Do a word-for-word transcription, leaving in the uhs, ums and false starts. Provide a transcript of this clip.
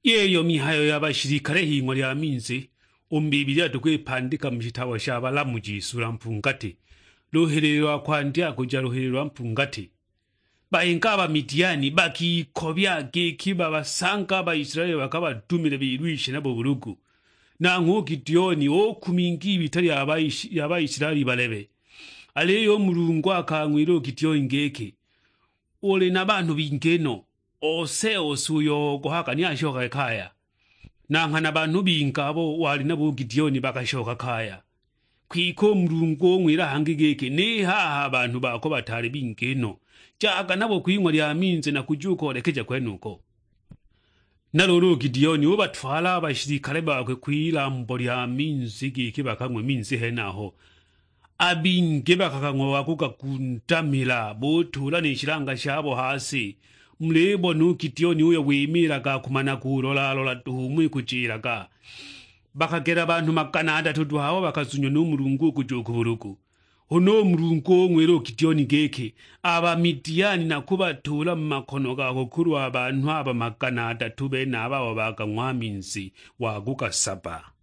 Yīyo mihayo ya bashilikale hing'we lya minzī, ū mu Bibilia tūkwīpandīka mu shitabo sha Balamuji sula mpungati, lūhīlīlī lwa kwandya kūja lūhīlīlī lwa mpungati. Bayīnga a Bamidiani bakīkobya gīkī babasanga a Baisilaeli bakabadumile bilwishe nabo būlūgū. Nang'hwe ū Gideoni ūkuminga ibità lya Baishi-, lya Baisilaeli balebe. Alīyo ū Mulungu akang'wīla ū Gideoni gīkī, "Ūlī na banhū bingī no, ose ose ūyo ogohaga ni ashokage kaya." Na nghana banhū bingī abo walī nabo ū Gideoni bakashoka kaya. Kwike ū Mulungu ūng'wīla hangī gīkī, "Nī haha a banhū bako bataalī bingī no, jaga nabo kwing'we lya minzī nakūja ūkoolekeja kwenūko." Na lūūlū ū Gideoni ūbatwala a bashilikale bakwe kw'ilambo lya minzī gīkī bakang'we minzī henaho. A bingī bakakang'wa wa kūgagundamīla, būtūūla nī shilanga shabo ha sī. Mulībona ū Gideoni ūyo wīmīlaga akūmana kūlolalola duhu ūmo īkūjīlaga. Bakagela banhū magana adatū duhu abo bakazunya nū Mulungu ū kūja ū kū būlūgū. Hūna ū Mulungu ūng'wīla ū Gideoni gīkī, "A Bamidiani nakūbatūūla mu makono gako kūlwa banhū aba magana adatū benaba abo bakang'wa minzī wa kūgasaba."